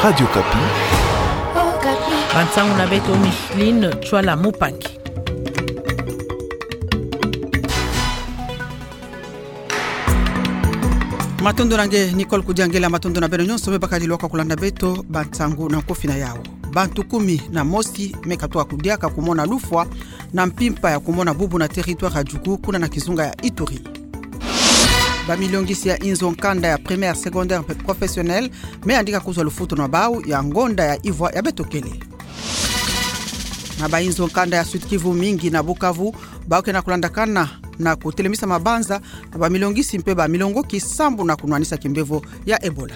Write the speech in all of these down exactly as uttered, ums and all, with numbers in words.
Radio Okapi. Bansangu na beto Micheline Tswala Mupangi. Matondo na nge Nicole Kudiangela, matondo na beno nyonso me bakadi lwaka kulanda beto. Bansangu na nkofi na yau. Bantu kumi na mosi me katuka kudiaka kumona lufwa na mpimpa ya kumona bubu na territoire ya Djugu, kuna na kizunga ya Ituri. Bamilio ngisi ya inzo nkanda ya primaire, secondaire mpe professionnel me yandika kuzwa lufutu na bau ya ngonda ya ivwa ya beto kele. Na bainzo nkanda ya Sud-Kivu mingi na Bukavu, bau ke na kulandakana na kutelemisa mabanza na bamilio ngisi mpe bamilio ngoki sambu na kunwanisa kimbevo ya Ebola.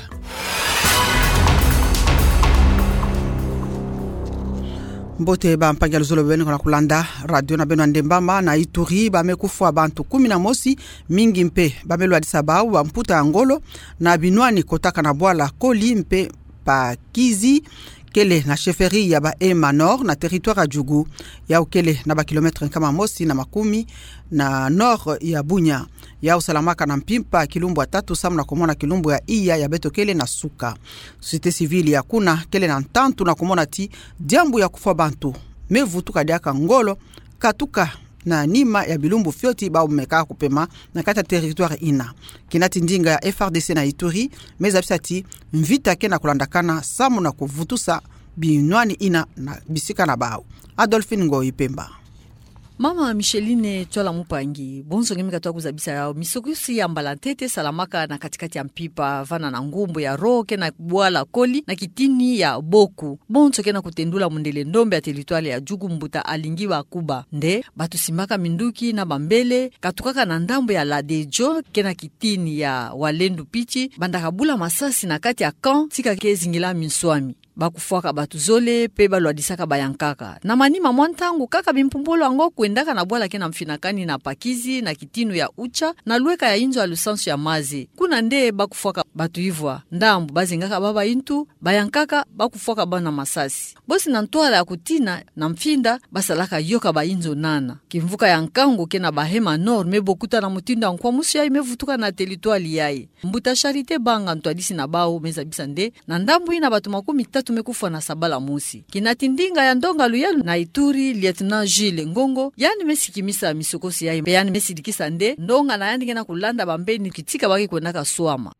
Mbote bampangi ya luzolo beno na kulanda radio na beno ya Ndembama. Na Ituri, ba me kufwa bantu kumi na mosi, mingi mpe ba me lwadisa bau bamputa ya ngolo na binwani kotaka na bwala Koli mpe Pakizi, kele na chefferie ya ba Hema Nord na territoire ya Djugu. Yau kele na ba kilomètre nkama mosi na makumi na nord ya Bunia. Yau salamaka na mpimpa kilumbu ya tatu samu na kumona kilumbu ya iya ya beto kele na suka. Société civile ya kuna kele na ntantu na kumona ti diambu ya kufwa bantu me vutuka diaka ngolo katuka na nima ya bilumbu fioti bau me ka kupema na kati ya territoire ina. Kina ti ndinga ya F R D C na Ituri me zabisa ti mvita ke na kulandakana samu na kuvutusa binwani ina na bisika na bau. Adolphine Ngoyi Pemba. Mama Micheline Tswala Mupangi, bonso nge me katuka kuzabisa yau. Misokosi ya mbala ntete salamaka na katikati ya mpimpa, vana na ngumbu ya Ro ke na bwala Koli na kitini ya Boku. Bonso ke na kutendula mundele ndombe ya territoire ya Djugu, mbuta Alingi Bakuba. Nde batu simbaka minduki na bambele, katukaka na ndambu ya Ladedjo ke na kitini ya Walendu Pitshi, bandaka bula masasi na kati ya camp, tika ke zingila minswami. Ba kufwaka batu zole, mpe ba lwadisaka bayankaka. Na manima mwa ntangu kaka, bimpumbulu yango kwendaka na bwala ke na mfinakani na Pakizi, na kitini ya Utcha, na lweka ya inzo ya lusansu ya maze. Kuna nde ba kufwaka batu ivwa. Ndambu ba zingaka baba intu, bayankaka ba kufwaka bau na masasi. Bosi na ntwala ya kutina na mfinda, ba salaka yoka bainzo nana. Kimvuka ya nkangu ke na ba Hema Nord me bokuta na mutindu ya nkwamusu yayi me vutuka na territoire yayi. Mbuta Charité Banga, ntwadisi na bau, me zabisa nde na ndambu ina batu makumi tatu me kufwa na sabala mosi. Kina ti ndinga ya ndonga luyalu na Ituri, Lieutenant Jules Ngongo, yandi me sikimisa misokosi yayi, mpe yandi me sidikisa nde ndonga na yandi ke na kulanda bambeni kitika ba ke kwendaka swama.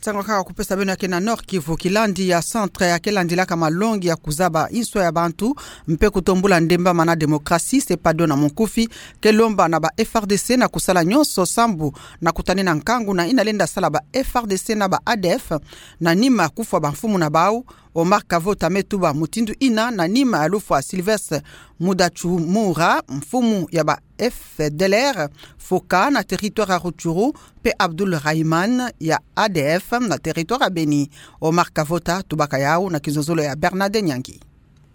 Nsangu kaka kupesa beno ya ke na Nord-Kivu. Kilandi ya centre ya ke landilaka malongi ya kuzaba inswa ya bantu mpe kutombula Ndembama na démocratie, CEPADO na munkufi, ke lomba na ba F R D C na kusala nyonso sambu na kutanina nkangu na ina lenda sala ba F R D C na ba A D F na nima kufwa bamfumu na bau. Omar Kavota me tuba mutindu ina na nima ya lufwa Sylvestre Mudachumura, mfumu ya ba F D L R, Foka na territoire ya Rutshuru, mpe Abdoul Rahman ya A D F na territoire ya Beni. Omar Kavota tubaka yau na kizololo ya Bernard Nyangi.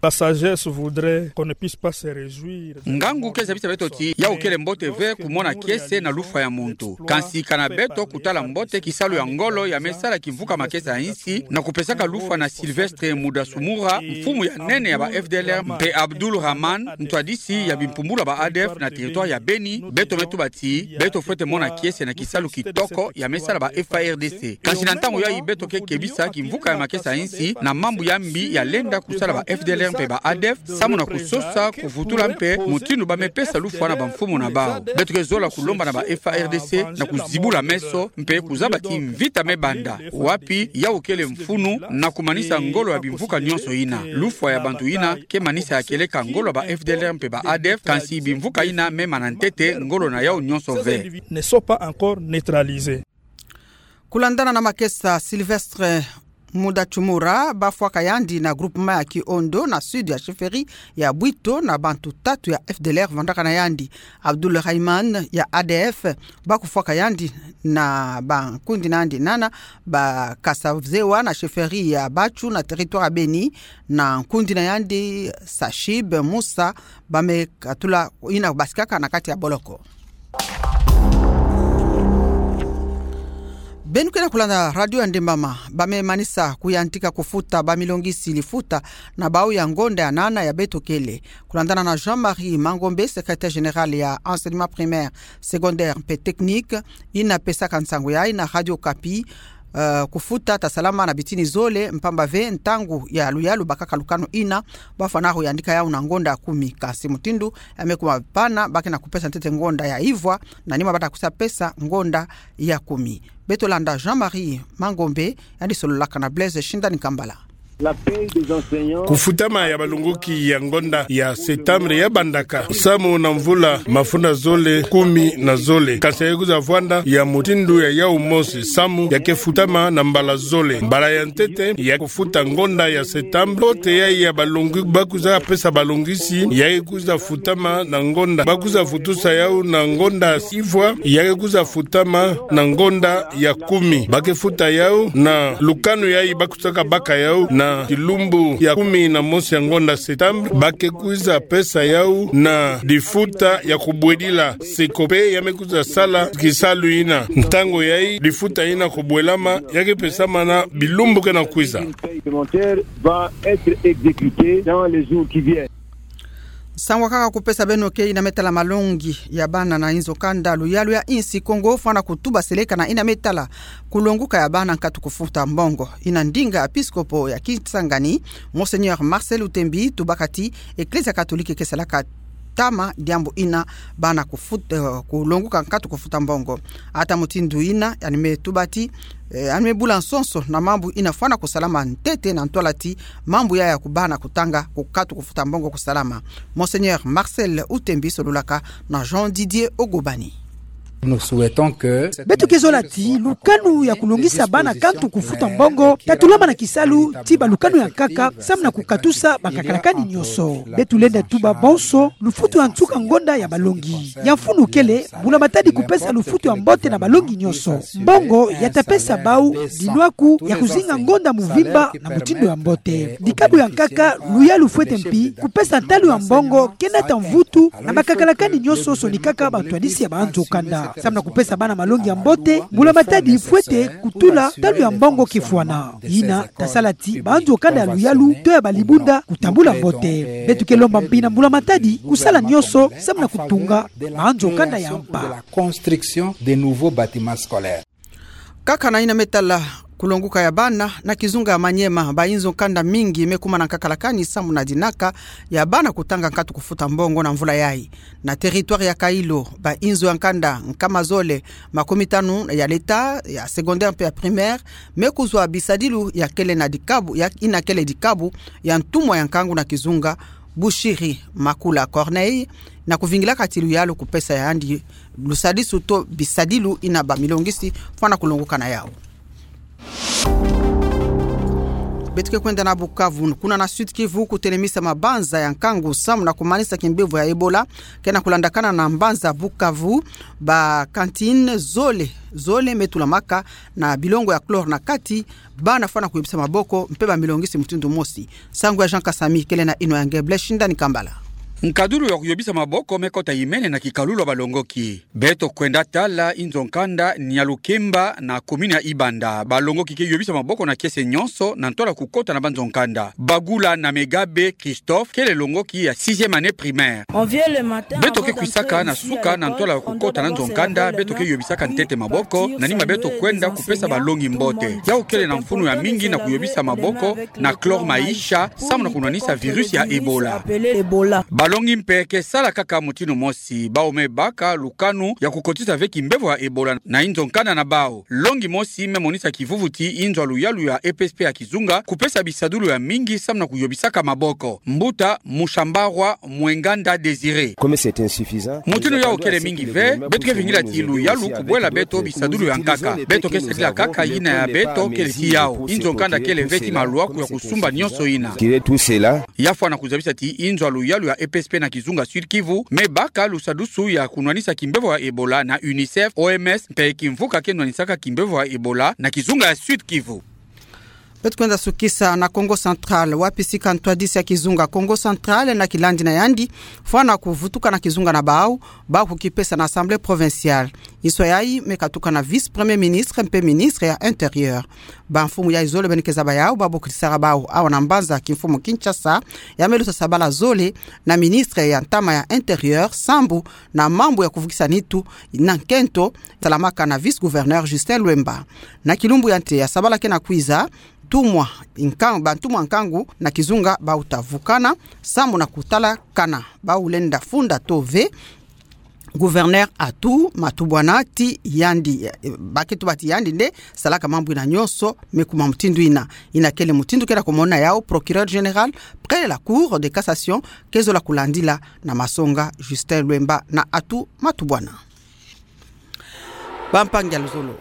La sagesse voudrait qu'on ne puisse pas se réjouir. Ngangu ke zabisa beto ti yau kele mbote ve kumona kiese na lufwa ya muntu. Kansi kana beto kutala mbote kisalu ya ngolo ya me sala kimvuka makesa ya insi na kupesaka lufwa na Sylvestre Mudachumura, mfumu ya nene ya ba F D L R, mpe Abdoul Rahman, ntwadisi ya bimpumbulu ya ba A D F na territoire ya Beni. Beto me tuba ti beto fwete mona kiese na kisalu kitoko ya me sala ba F A R D C. Kansi na ntangu yayi beto ke kebisa kimvuka ya makesa ya insi na mambu ya mbi ya lenda kusala ba F D L R mpe ba A D F, samu na kusosa, kuvutula mpe mutindu ba me pesa lufwa na bamfumu na bau. Beto ke zola kulomba na ba F A R D C na kuzibula meso mpe kuzaba ti mvita me banda. Wapi yau kele mfunu na kumanisa ngolo ya bimvuka nyonso ina. Lufwa ya bantu ina ke manisa ya kieleka ngolo ya ba F D L R mpe ba A D F, kansi bimvuka ina me mana ntete ngolo na yau nyonso ve. Ne sont pas encore neutralisés. Kulandana na makesa, Sylvestre Mudachumura ba fwaka yandi na groupement ya Kiondo na sud ya chefferie ya Bwito na bantu tatu ya F D L R vandaka na yandi. Abdoul Rahman ya A D F ba kufwaka yandi na bankundi na yandi nana, ba Kasazewa na chefferie ya Batchou na territoire ya Beni, na nkundi na yandi Sachib Moussa, ba me katula ina basikaka na kati ya boloko. Beno ke na kulanda radio ya Ndembama, ba me manisa kuyantika kufuta bamilongisi lifuta na bau ya ngonda ya nana ya beto kele. Kulandana na Jean-Marie Mangombe, secrétaire général ya enseignement primaire, secondaire mpe technique, ina pesaka nsangu yayi na Radio Okapi, eh, kufuta tasalama na bitini zole, mpamba ve ntangu ya luyalu bakaka lukanu ina, bafwana ho yandika yau na ngonda kumi. Kansi mutindu ya me kuma pana, ba ke na kupesa ntete ngonda ya ivwa, na nima bata kusa pesa ngonda ya kumi. Beto landa Jean-Marie Mangombe, yandi sololaka na Blaise Shindani Kambala. Kufutama ya balongoki ya ngonda ya septembre ya bandaka samu na mvula mafunda zole kumi na zole. Kansi ya kwiza vwanda ya mutindu ya yau mosi samu ya ke futama na mbala zole. Mbala ya ntete ya kufuta ngonda ya septembre, mbote ya, ya balongi-, ba kwiza pesa balongisi, ya kwiza futama na ngonda. Ba kwiza futusa yau na ngonda ivwa, ya kwiza futama na ngonda ya kumi. Ba ke futa yau na lukanu yayi ba kwiza baka yau na kilumbu ya kumi na mosi ya ngonda septembre, ba ke kwiza pesa yau na difuta ya kubwedila sikope ya me kwiza sala kisalu ina. Ntangu yayi difuta ina kubwelama, ya ke pesama na bilumbu ke na kwiza. Sango kaka kupesa beno ke ina me tala malongi ya bana na inzo kanda luyalu ya insi Kongo fwana kutuba seleka na ina me tala kulonguka ya bana nkatu kufuta mbongo. Ina ndinga episkopo ya Kisangani, Monseigneur Marcel Utembi, tubaka ti Eklezia Katolike ke salaka ntama diambu ina bana kufut-, eh, kulonguka nkatu kufuta mbongo. Ata mutindu ina, yandi me tuba ti, eh, yandi me bula nsonso na mambu ina fwana kusalama ntete na ntwala ti mambu yaya kubana kutanga nkatu kufuta mbongo kusalama. Monseigneur Marcel Utembi sololaka na Jean Didier Ogobani. Beto ke zola ti lukanu ya kulongisa bana nkatu kufuta mbongo tatulama na kisalu ti balukanu ya nkaka samu na kukatusa bakakalakani nyonso. Beto lenda tuba bonso lufutu ya nsuka ngonda ya balongi. Ya mfunu kele, mbula matadi kupesa lufutu ya mbote na balongi nyonso. Mbongo ya ta pesa bau dinwaku ya kuzinga ngonda mvimba na mutindu ya mbote. Dikabu ya nkaka, luyalu fwete mpi kupesa ntalu ya mbongo ke nata mvutu na bakakalakani nyonso sonikaka bantwadisi ya banzo kanda. Samu na kupesa bana malongi ya mbote, mbula matadi fwete kutula ntalu ya mbongo ke fwana. Ina ta sala ti banzo kanda ya luyalu to ya balibunda kutambula mbote. Beto ke lomba mpi na mbula matadi kusala nyonso samu na kutunga banzo kanda ya mpa. Construction de nouveaux bâtiments scolaires. Kaka na ina me tala kulonguka ya bana, na kizunga ya Maniema, bainzo kanda mingi me kuma na nkakalakani samu na dinaka ya bana kutanga nkatu kufuta mbongo na mvula yayi. Na territoire ya Kailo, bainzo ya nkanda nkama zole makumia tanu ya l'État, ya secondaire mpe ya primaire, me kuzwa bisadilu ya kele na dikabu, ya ina kele dikabu ya ntumwa ya nkangu na kizunga, Bushiri Makula Corneille, na kuvingilaka ti luyalu kupesa yandi lusadisu to bisadilu ina bamilongisi fwana kulonguka na yau. Beto ke kwenda na Bukavu, kuna na Sud-Kivu, kutelemisa mabanza ya nkangu samu na kumanisa kimbevo ya Ebola ke na kulandakana na mbanza Bukavu. Ba cantines zole, zole me tulamaka na bilongo ya chlore na kati, bana fwana kuyobisa maboko mpe bamilongisi mutindu mosi. Sango ya Jean Kasami kele na inwa ya nge Blaise Shindani Kambala. Nkadulu ya kuyobisa maboko me kota imene na kikalulu ya balongoki. Beto kwenda tala inzo nkanda Nyalukemba na commune ya Ibanda. Balongoki ke yobisa maboko na kiese nyonso na ntwala kukota na banzo nkanda. Bagula na Megabe Christophe, kele longoki ya sixième année primaire. Beto ke kwisaka na suka na ntwala kukota na nzo nkanda, beto ke yobisaka ntete maboko, na nima beto kwenda kupesa balongi mbote. Yau kele na mfunu ya mingi na kuyobisa maboko na chlore maïcha, samu na kunwanisa virus ya Ebola. Balongi mpe ke sala kaka mutindu mosi, bau me baka lukanu ya kukotisa ve kimbevo ya Ebola na inzo nkanda na bau. Longi mosi me monisa kivuvu ti inzo ya luyalu ya E P S P ya kizunga kupesa bisadulu ya mingi samu na kuyobisaka maboko. Mbuta Mushambarwa Mwenganda Désiré. Mutindu yau kele mingi ve, beto ke vingila ti luyalu kubwela beto bisadulu ya nkaka. Beto ke sadila kaka yina ya beto kele ti yau. Inzo nkanda kele ve ti maluaku ya kusumba nyonso yina. Ya fwana kuzabisa ti inzo ya luyalu ya E P S P na kizunga Sud-Kivu me baka lusadusu ya kunwanisa kimbevo ya Ebola na UNICEF, O M S, mpe kimvuka ke nwanisaka kimbevo ya Ebola na kizunga ya Sud-Kivu. Beto kwenda sukisa na Kongo Central, wapi sika ntwadisi ya kizunga Kongo Central na kilandi na yandi fwana kuvutuka na kizunga na bau, bau kukipesa na Assemblée provinciale. Inso yayi me katuka na vice-premier ministre mpe ministre ya Intérieur. Bamfumu yayi zole beni ke zaba yau, babo kitisara bau awa na mbanza kimfumu Kinshasa, ya me luta sabala zole na ministre ya ntama ya Intérieur, sambu na mambu ya kuvukisa nitu na nkento, salamaka na vice-gouverneur Justin Lwemba. Na kilumbu ya nte ya sabala kena kwiza, ntumwa nkan-, bantumwa nkangu na kizunga bau ta vukana, sambu na kutala kana bau lenda funda to ve gouverneur Atou Matubuana ti yandi, eh, ba ke tuba ti yandi nde salaka mambu ina nyonso, me kuma mutindu ina, ina kele mutindu kena komona yau procureur général près la Cour de cassation ke zola kulandila na masonga Justin Lwemba na Atou Matubuana. Bampangi ya luzolo.